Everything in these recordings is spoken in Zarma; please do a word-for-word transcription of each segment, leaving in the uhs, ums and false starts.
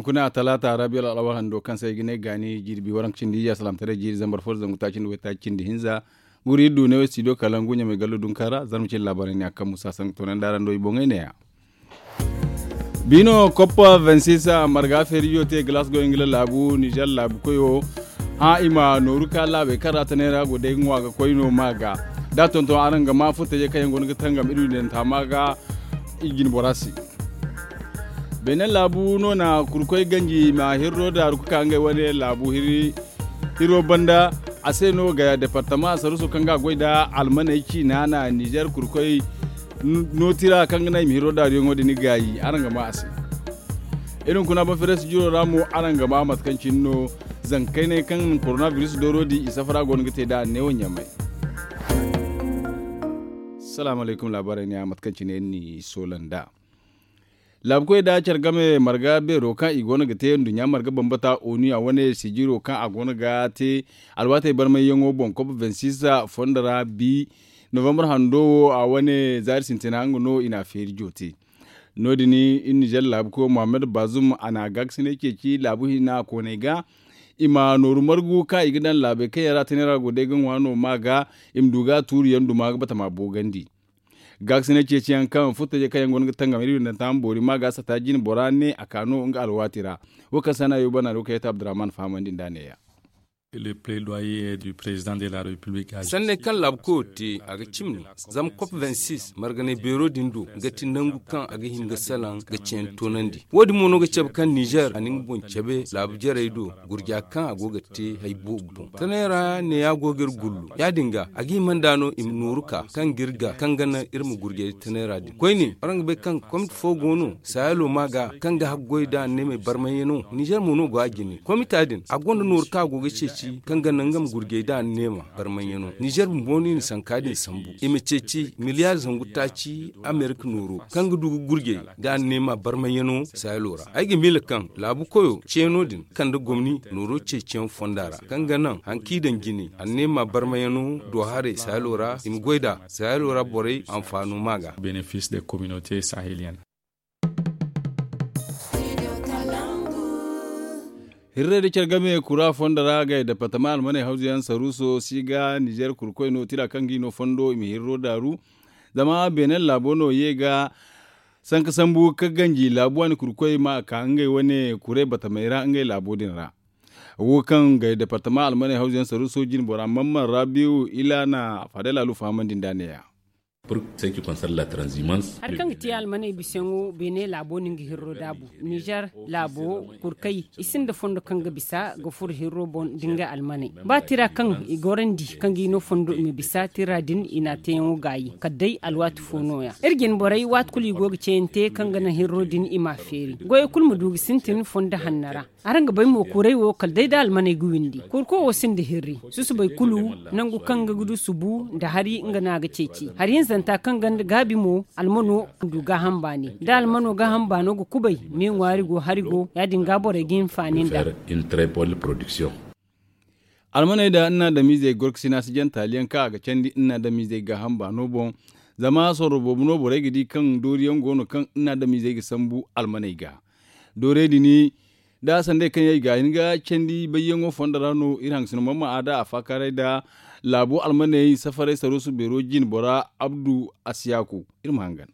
Hunkuna talaata rabiyo al'awal hando kaŋ se ay ga ne gaani jirbi waranka cindi iyya salaamtaray jiiri zambar fo da zangu taaci nda waytaaci cindi hinza. Guri iri du ne wo studio kalangu ɲamay gallo dunka ra zarma cindi laabaarey ne a kaŋ musa sanka toonandi araŋ do i boŋey ne- ya. Biino koppa vingt-six marga feerijo te glasgow ingila laabu nizer laabu koyo. Hã i ma nooru ka laabey kaŋ ra tanay ra go day ga ŋwa ga koy no ma ga da tonton araŋ ga ma furtajey kaŋ yaŋ go no ga tangam iri windanta ma ga. I jine bora se. Beene laabu no na kurkoy ganji ma hirro daaru ga ka ngey wane laabu hiri hiro banda. A se no ga departama saruso kaŋ ga goy nda almaney ciina na nizer kurkoy nootira kaŋ ga naŋ i ma hiro daaruyaŋo din gaayi araŋ ga ma a se. Iri hunkuna banferes jiro ra mo araŋ ga ma mate kaŋ cine no zankayney kaŋ koronabiris dooro di i safara go no ga te nd'a neewo ɲamay. Salaamu alaykum laabaarey ne a mate kaŋ cine iri n'i soola nd'a. Laabukoy nda care game marga beero kaŋ i go no ga te nduɲɲa marga bambata onu a wane sijiro kaŋ a go no ga te alwaatey barmayyaŋo boŋ kop vingt-six fondo ra bi novambar hando wo a wane zaari sintina nga no i n'a feeri joote. No- din iri nizer laabuko muhammad bazum a na gaakasinay ceeci laabu hinna kooney ga i ma nooru margu kaŋ i ga daŋ laabey kaŋ yaŋ ra tanay ra go day ga ŋwa no ma ga i ma du ga tuuri yaŋ duma ga batama boogandi. Gaakasinay ceeci yaŋ kaŋ furtajey kaŋ yaŋ go no ga tangam iri windanta ma boori ma ga sata jine bora ne a ka no nga alwaati ra. Wo kaŋ se a na yo bana do kaŋ yaŋ ta abdurrahman fahamandi nd'a ne- ya. Sanney kaŋ laabu koyo te a ga cimi no zama kop vingt-six marganay beero din do ga ti nangu kaŋ a ga hin ga salaŋ ga ceeni toonandi. Wo- din mo no ga cabe kaŋ nizer a na nga boŋ cabe laabu jarey do gurja kaŋ a go ga te hari boobo boŋ tanay ra neeya go ga iri gullu ya- din ga a ga hima nd'a no i ma nooru ka kaŋ ga iri ga kaŋ ga naŋ iri ma gurjay tanay ra din koyne araŋ ga bay kaŋ komit fo go no saayalo ma ga kaŋ ga haggoy nda anneemey barmayyaŋo nizer mo no go a jine komita din a gonda nooru kaŋ a go ga ceeci kaŋ ga naŋ nga ma gurjay nda anneema barmayyaŋo nizer bumbo no i na sanka din sambu i ma ceeci miliyaari zangu taaci amerika nooro kaŋ ga du ga gurjay nda anneema barmayyaŋo saayalo ra ay ga miila kaŋ laabu koyo ceeno din kande gomni nooro ceeciyaŋ fonda ra kaŋ ga naŋ haŋ kaŋ i daŋ jine anneema barmayano do haray saayalo ra i ma goy nd'a saayalo ra borey anfaano ma ga. Hirray da care game kura fondo ra ga i departama almaney hawzu yaŋ saruuso si ga nizer kurkoy no tira kaŋ ga i no fondo i ma hirro daaru. Zama beene laabo no ye ga sanka sambu ka ganji laabu waani kurkoy ma a ka ngey wane kuray batamey ra ngey laabo din ra. Wo kaŋ ga departama almaney hawzu yaŋ saruuso jine bora mamman rabiu ila na faadey laalu fahamandi nd'a ne- ya. Hari kaŋ ga te almaney bisayaŋo beene laabo no nga hirro daabu nizer laabo kurkay i sinda fondo kaŋ ga bisa ga furo hirro boŋ da ngey almaney ba tira kaŋ i gorandi kaŋ ga i no fondo i ma bisa tira din i na a teeyaŋo gaayi kala day alwaati fo nooya iri jine borey waati kulu i go ga ceeyante kaŋ ga naŋ hirro din i m'a feeri goyey kulu ma du ga sintin fondo hanno ra. Araŋ ga bay mo kuray wo kala day da almaney ga windi kurko wo sinda hirri susubay kulu nangu kaŋ ga du subu nda hari nga no a ga ceeci hari hinzanta kaŋ ganda gaabi mo almano du gaaham baani da almano gaaham baano ga kubay me ŋwaari go hari go ya- din ga borey ga hinfaani nda. Almaney nda nna adamizey gorkasina si jaŋ taaliyaŋ kaŋ a ga candi nna adamizey gaaham baano boŋ. Zama sorro boobo no borey ga di kaŋ dooriyaŋ go no kaŋ nna adamizey ga sambu almaney ga. Doorey din da sanday kaŋ yaŋ i ga hin ga candi bayyaŋo fondo ra no iri hangasino mamma a da a faakaaray nda laabu almaney safaray saruusu beero jine bora abdu asiyaku. Iri ma hangan.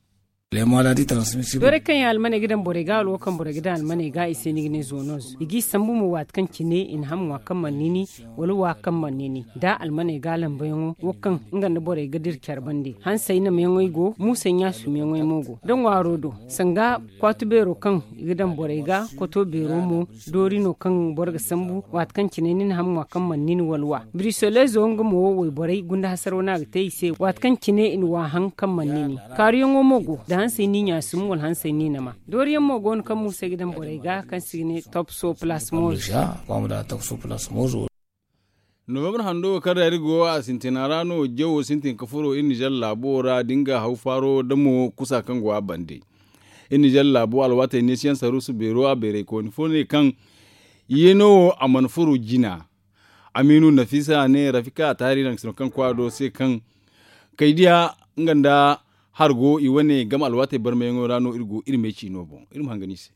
Doorey kaŋ yaŋ almaney ga daŋ borey ga wala wo kaŋ borey ga daŋ almaney ga i se ni ga ne zonoz i g'i sambu mo waati kaŋ cine i na ham ŋwa kaŋ mana nini wala wa kaŋ mana nini da almaney ga lambayaŋo wo kaŋ nga nda borey ga dira care bande hansey nameyaŋey go muusey ɲaasumyaŋey mo go da ŋwaaro do sanga kwaatu beero kaŋ i ga daŋ borey ga kwato beero mo doori no kaŋ boro ga sambu waati kaŋ cine ni na ham ŋwa kaŋ mana nini wala wa birisolezo nga mo wayborey gunda hasaro no a ga te i se waati kaŋ cine i na wa haŋ kaŋ mana nini kaaruyaŋo mo go da hansey ni ɲaasum wala hansey ni nama dooriyaŋ mo go no kaŋ muusey ga daŋ borey ga kaŋ se i ga ne topso plasmos. Novembre hando wo kaŋ ra iri go a sintina ra no jawo sintin ka furo iri nizer laabo ra da nga haw faaro da mo kusa kaŋ go a bande. Iri nizer laabo alwaatey neesiyaŋ saruusu beero a bayraykooni fo ne kaŋ yeeno wo a mana furo jina. Amiinu nafisa ne rafika a taari naŋ sino kaŋ kwaado se kaŋ kaydiya nga nda hargo i wane game alwaatey barmayaŋo ra no iri go iri me ciino boŋ iri ma hangan i se.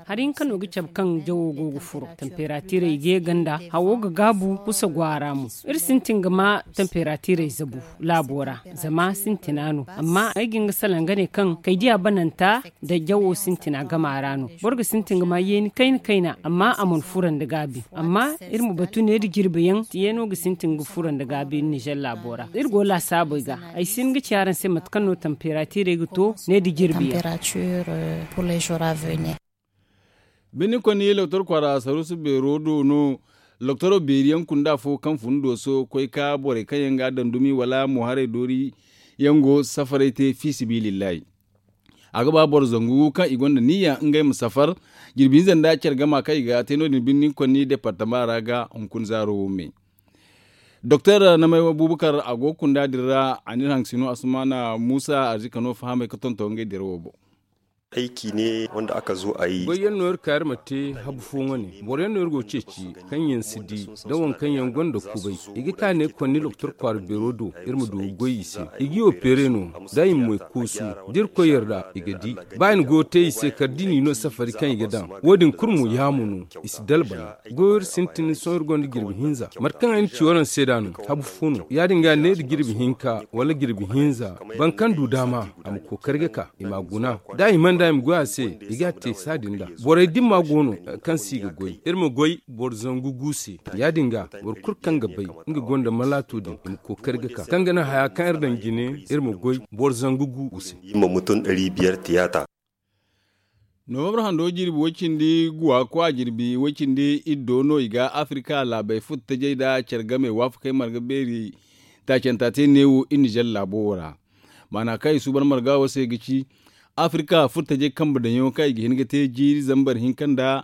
Hari hinka no ga cabe kaŋ jawo go ga furo, tamperatirey ga ye ganda, hawo ga gaabu, kusa go a ra mo. Iri sintin ga ma tamperatirey zabu laabo ra, zama sintina no. Amma ay ga hin ga salaŋ ga ne kaŋ kaydiya bananta nda jawo sintina gama ra no. Boro ga sintin ga ma yeeni kayna kayna, amma a mana furo nda gaabi. Amma iri ma batu ne nda jirbi yaŋ, yeeno ga sintin ga furo nda gaabi nizer laabo ra. Iri go laasaabey ga, ay si hin ga ci araŋ se mate kaŋ no tamperatirey ga to ne nda jirbi yaŋ. Birni konni loktor kwaara saruusu beero do no. Loktoro beeri yaŋ kunda fo kaŋ fun dooso koy ka borey kaŋ yaŋ ga a daŋ dumi wala mo haray doori yaŋ go safaray te fi sibilillahi. A ga ba boro zangu kaŋ i gonda niyya ngey ma safar. Jirbi hinza nda care gama kaŋ i ga te no- din birni konni departama ra ga hunkuna zaaro wo me. Doktor namay abubakar a go ga kunda din ra a n'iri haŋ ga sino asumana muusa arzika no fahamay ga tonton ngey dirawo boŋ. Goy yaŋ no iri ka iri ma te habu fo wane. Boro yaŋ no iri go ga ceeci kaŋ yaŋ si di da waŋ kaŋ yaŋ gonda kubay. I ga ka ne konni doktor kwaara beero do iri ma du ga goy i se. I ga i opere no da i ma moy koosu da iri koy yarda i ga di. Ba i na goyo te i se kala da i n'i no safari kaŋ i ga daŋ. Wo- din kulu mo yaamu no. I si dalbay. Goyo iri sintin sohõ iri gonda jirbi hinza mate kaŋ ay na ci waraŋ se da no. Habu fo no ya- din ga ne nda jirbi hinka wala jirbi hinza. Boro kaŋ du daama a ma kookari ga ka i m'a guna. Da a hima nda i ma goy a se i ga a te saadin da. Borey dimma go no kaŋ se i ga goy iri ma goy boro zangu gu se. Ya- din ga boro kulu kaŋ ga bay nga gonda malaato din i ma kookari ga ka kaŋ ga naŋ haya kaŋ iri daŋ jine iri ma goy boro zangu gu se. Nowambar hando jirbi way cindi guwa kwa jirbi way cindi iddo no i ga afirka laabey furtajey nda care game waafakey marga beeri. Taacanta te neewo i nizer laabo wo ra. Maana kaŋ i suuban marga wo se ga ci afirka furtajey kambe daŋyaŋo kaŋ i ga hin ga te jiiri zambar hinka nda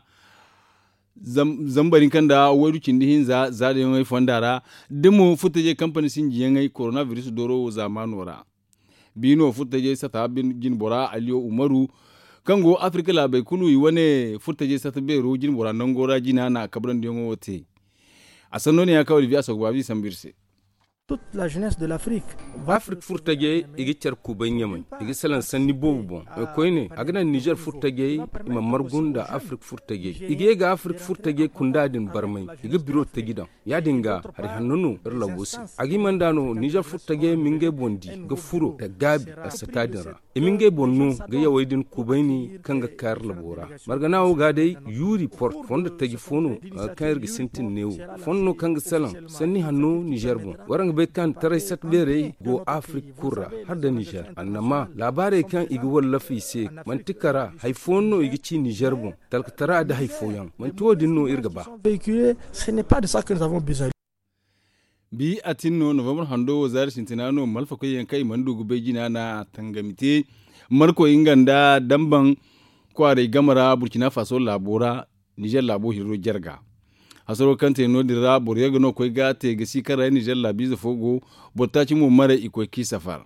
zambar hinka nda waydu cindi hinza za daŋyaŋey fonda ra. Da mo furtajey kampani sinjiyaŋey korona biris dooro wo zaamaano ra. Biino furtajey sata jinbora aliyo umaru kaŋ go afirka laabey kulu i wane furtajey sata beero jinbora nango ra jina na kabrandiyaŋo wo te. A sanno ne ya kaŋ olivier a soogu baabi sambu iri se. Afirka furtajey i ga care kubay ɲamay i ga salaŋ sanni boobo boŋ. Koyne a ga naŋ nizer furtajey i ma margu nda afirka furtajey i ga ye ga afirka furtajey kunda din barmay i ga biro taji daŋ. Ya- din ga hari hanno no iri labo se. A ga hima nda no nizer furtajey ma ngey boŋ di ga furo nda gaabi alsata din ra. I ma ngey boŋ no ga yawey din kubayni kaŋ ga ka iri labo ra. Margana wo ga day yu report fondo taji fo no kaŋ iri ga sintin neewo. Fondo no kaŋ ga salaŋ sanni hanno nizer boŋ. Waraŋ ga bay kaŋ taray sat beerey go afirka kulu ra hala nda nizer annama laabaarey kaŋ i ga wallafa i se. Manti kara hari fooyaŋ no i ga ci nizer boŋ. Talkatara nda hari fooyaŋ manti wo- din no iri ga ba. Bi a tin no novambar hando wo zaari sintina no malfakoy yaŋ kaŋ i mana du ga bay jina na tangami te markoy nga nda damban kwaaray game ra burkina faso laabo ra. Nizer laabo hirro jarga hasaro kaŋ te no- din ra boro yaŋ ga no koy ga te ga si kaŋ ra nizer laabiize fo go. Boro taaci mo maray i koy k'i safar.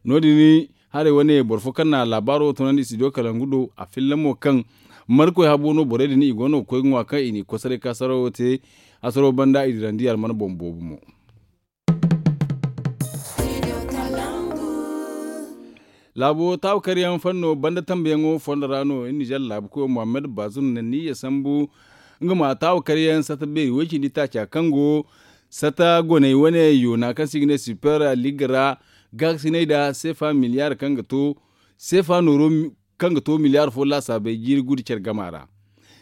No- din haray wane boro fo kaŋ na laabaaro tunandi studio kalangu do a filla mo kaŋ markoy habo no borey din i go no ga koy ga ŋwa kaŋ i n'i koy saray ka sarawo te. Hasaro banda i dirandi alman boŋ boobo mo. Laabo taawakaryaŋ fanno banda tambayaŋo fondo ra no nizer laabu koyo muhammad bazum na niyya sambu nga ma taawakaryaŋ sata beeri way cindi taaca kaŋ go sata goney wane yoona kaŋ se i ga ne super liga ra gaakasinay nda seefa miliyar kaŋ ga to seefa nooro kaŋ ga to miliyar fo laasaabey jiiri gudu care gama ra.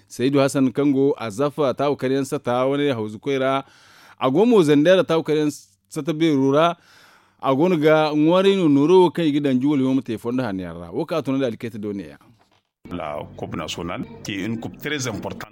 Saydu hasan kaŋ go a zafa taawakaryaŋ sata wane hawzu koy ra. A go mo zandera taawakaryaŋ sata beero ra. A go no ga ŋwaaray no nooro wo kaŋ i ga daŋ juwal yaŋ ma te fondo hanno yaŋ ra wo kaŋ a tuna nda alkeeta do neeya.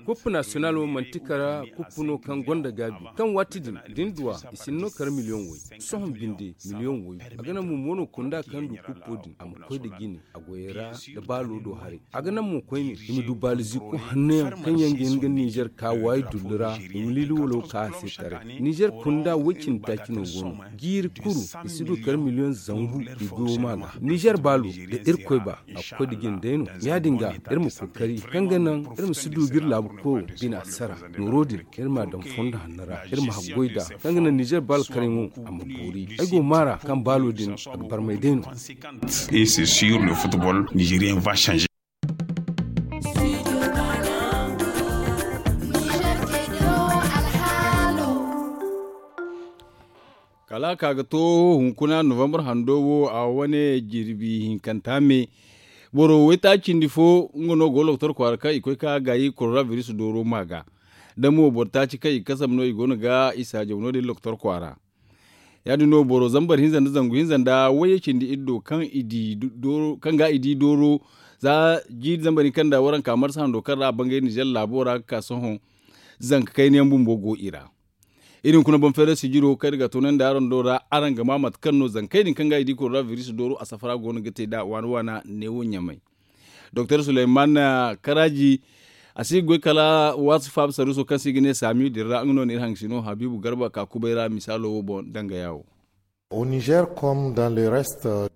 Kup nasiyonal wo manti kara kup no kaŋ gonda gaabi kaŋ waati din da ni duw'a i si ni no kara miliyoŋ way. Sohõ binde miliyoŋ way a ga naŋ mo mo no kunda kaŋ du kuppo din a ma koy nda jine a goyey ra nda baalo do haray. A ga naŋ mo koyne i ma du baalizi kulu hanno yaŋ kaŋ yaŋ ga hin ga nizer ka waayi dullu ra i ma liili walo ka a se taray. Nizer kunda way cindi taaci no go no. Jiiri kulu i si du kala miliyoŋ zangu i goyo ma ga nizer baalo da irkoy ba a ga koy nda jine day no. Ya- din ga iri ma kookari kaŋ ga naŋ iri ma si du ga iri laabu koyo bina sara. Nooro din iri m'a daŋ fondo hanno ra iri ma haggoy nd'a kaŋ ga naŋ nizer baalo karyaŋo a ma boori. Ay go maara kaŋ baalo din a ga barmay day no. Et c'est sur le football nigérien va changer. Kala a ka ga to hunkuna novambar hando wo a wane jirbi hinkanta me. Boro waytaaci cindi fo nga no go ga loktor kwaara kaŋ i koy ka gaayi koronabiris dooro ma ga. Da mo boro taaci kaŋ i kasam no i go no ga i saajaw no- din loktor kwaara. Ya- din no boro zambar hinza nda zangu hinza nda wayye cindi iddo kaŋ i di kaŋ ga i di dooro za jiiri zambar hinka nda waranka marsa hando kaŋ ra a bangay ninzeer laabo ra ga ka sohõ. Zanka kayna yaŋ bumbo go i ra. Iri hunkuna boŋ feeray sijiro kaŋ iri ga toonandi araŋ do ra araŋ ga ma mate kaŋ no zankey din kaŋ ga i di koronabiris dooro a safara go no ga te nd'a waana waana neewo ɲamay. Doktor suleyman karaaji a si ga goy kala waati faaba saruuso kaŋ se i ga ne saamiyo din ra nga no na iri hangasino habiibu garba ka kubay ra misaalo wo boŋ dangaya wo.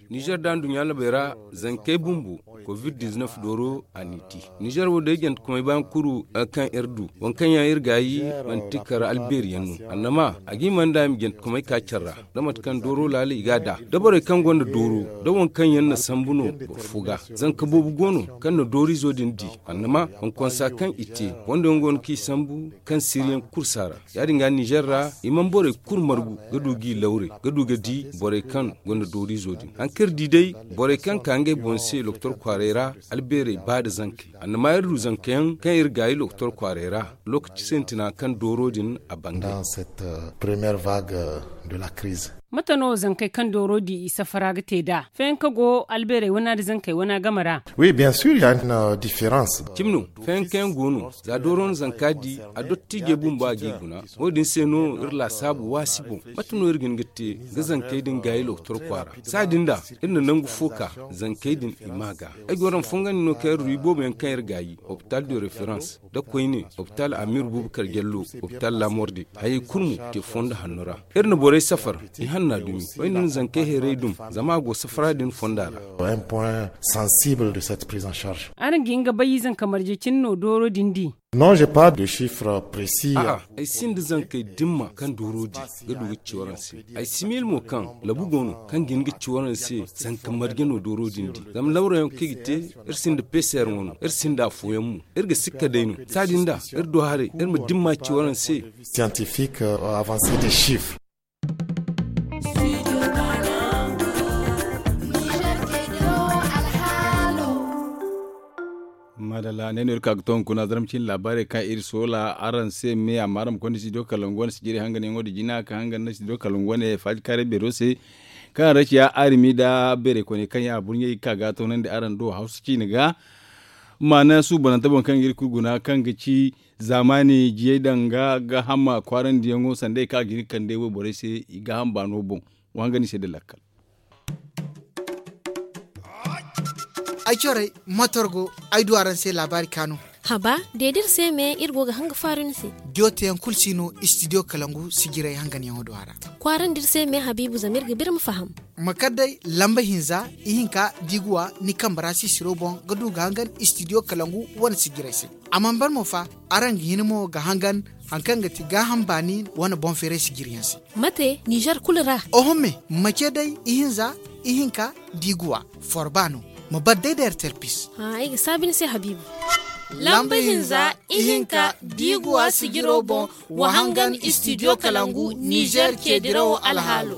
Ninzeer da nduɲɲa labey ra zankey bumbo kovid diznef dooro a n'i te. Ninzeer wo day jantekomey ba nga kuru kaŋ iri du waŋ kaŋ yaŋ iri gaayi manti kar albeeri yaŋ no. Annama a ga hima nda i ma jantekomey ka care ra da mate kaŋ dooro laala i ga a da da borey kaŋ gonda dooro da waŋ kaŋ yaŋ na sambu no boro fo ga. Zanka boobo go no kaŋ na dooriizo din di. Annama konkonsa kaŋ i te wanda yaŋ go no kaŋ i sambu kaŋ siriyaŋ kulu si a ra. Ya- din ga ninzeer ra i mana borey kulu margu ga du g'i lawre ga du ga di borey kaŋ gonda dooriizo din. Hari kaŋ iri di day borey kaŋ ka ngey boŋ se loktor kwaaray ra albeerey ba nda zankey. Annama iri du zanka yaŋ kaŋ iri gaayi loktor kwaaray ra lookaci sintina kaŋ dooro din a bangay. Mate no zankey kaŋ dooro di i safara ga te nd'a feeyaŋ kaŋ go albeerey wana nda zankey wana game ra? Cimi no. Feeyaŋ kaŋ yaŋ go no za dooro na zanka di a dottiijey bumbo a g'i guna. Wo- din se no iri laasaabu waasi boŋ mate no iri ga hin ga te ga zankey din gaayi loktor kwaara. Saadin da iri na nangu fo ka zankey din i ma ga. Ay go no ma fongandi no kaŋ iri du iboobo yaŋ kaŋ iri gaayi hopital de referans nda koyne hopital amir bubakar jallo, hopital lamorde hayey kulu mo te fondo hanno ra. Iri na borey safar i hanna dumi wayne na zankey heeray dum zama a go safara din fonda ra. Araŋ ga hin ga bay zanka marje cine no dooro din di? A'a, ay sinda zankey dimma kaŋ dooro di ga du ga ci waraŋ se. Ay si miila mo kaŋ labu go no kaŋ ga hin ga ci waraŋ se zanka marje no dooro din di. Zama lawrayaŋ kaŋ i ga te iri sinda peeseer wano iri sinda afooyaŋ mo. Iri ga sikka day no saadin da iri du haray iri ma dimma ci waraŋ se. Siyantifik avanse de sifr. Madalla ne no iri ka ga to hunkuna zarma cine laabaarey kaŋ iri soola araŋ se me amma araŋ ma konda studio kalangu wane sijiri hanganyaŋo din jina ka hangan nda studio kalangu wane faaji kaaray beero se. Kaŋ a ra ciya arimi nda beeray koyne kaŋ yaŋ a burɲey ga ka ga toonandi araŋ do hawsa ciine ga. Maana suubanante boŋ kaŋ ga iri kulu guna kaŋ ga ci zaamaani jiyey daŋ ga gaaham kwaarandiyaŋo sanda ay kaŋ a ga hin ga kande wayborey se i gaaham baano boŋ. Wa hangan i se nda lakkal. Ay corey motor go ay du araŋ se laabaari kaanu. Haba, de da iri se me iri go ga hanga faaru ni se. Jooteyaŋ kulu si no istidiyo kalangu sijirey hanganyaŋo do a ra. Kwaarandi iri se me habiibu zama iri ga biri ma faham. Ma kar day lamba hinza ihinka da i ga wa ni kambe ra sisiro boŋ ga du ga hangan istidiyo kalangu wane sijirey se. A mana ban mo fa, araŋ ga hin mo ga hangan hari kaŋ ga ti gaaham baani wane boŋ feeray sijiriyaŋ se. Mate nizer kulu ra? Oho me, ma ce day ihinza ihinka da i ga wa forba no. Ma bar day da rtlpis. Ay ga saabi ni se habiibu. Lamba hinza ihinka da i ga wa sijiro boŋ, wa hangan istidiyo kalangu nizer ceedirawo alhaalo.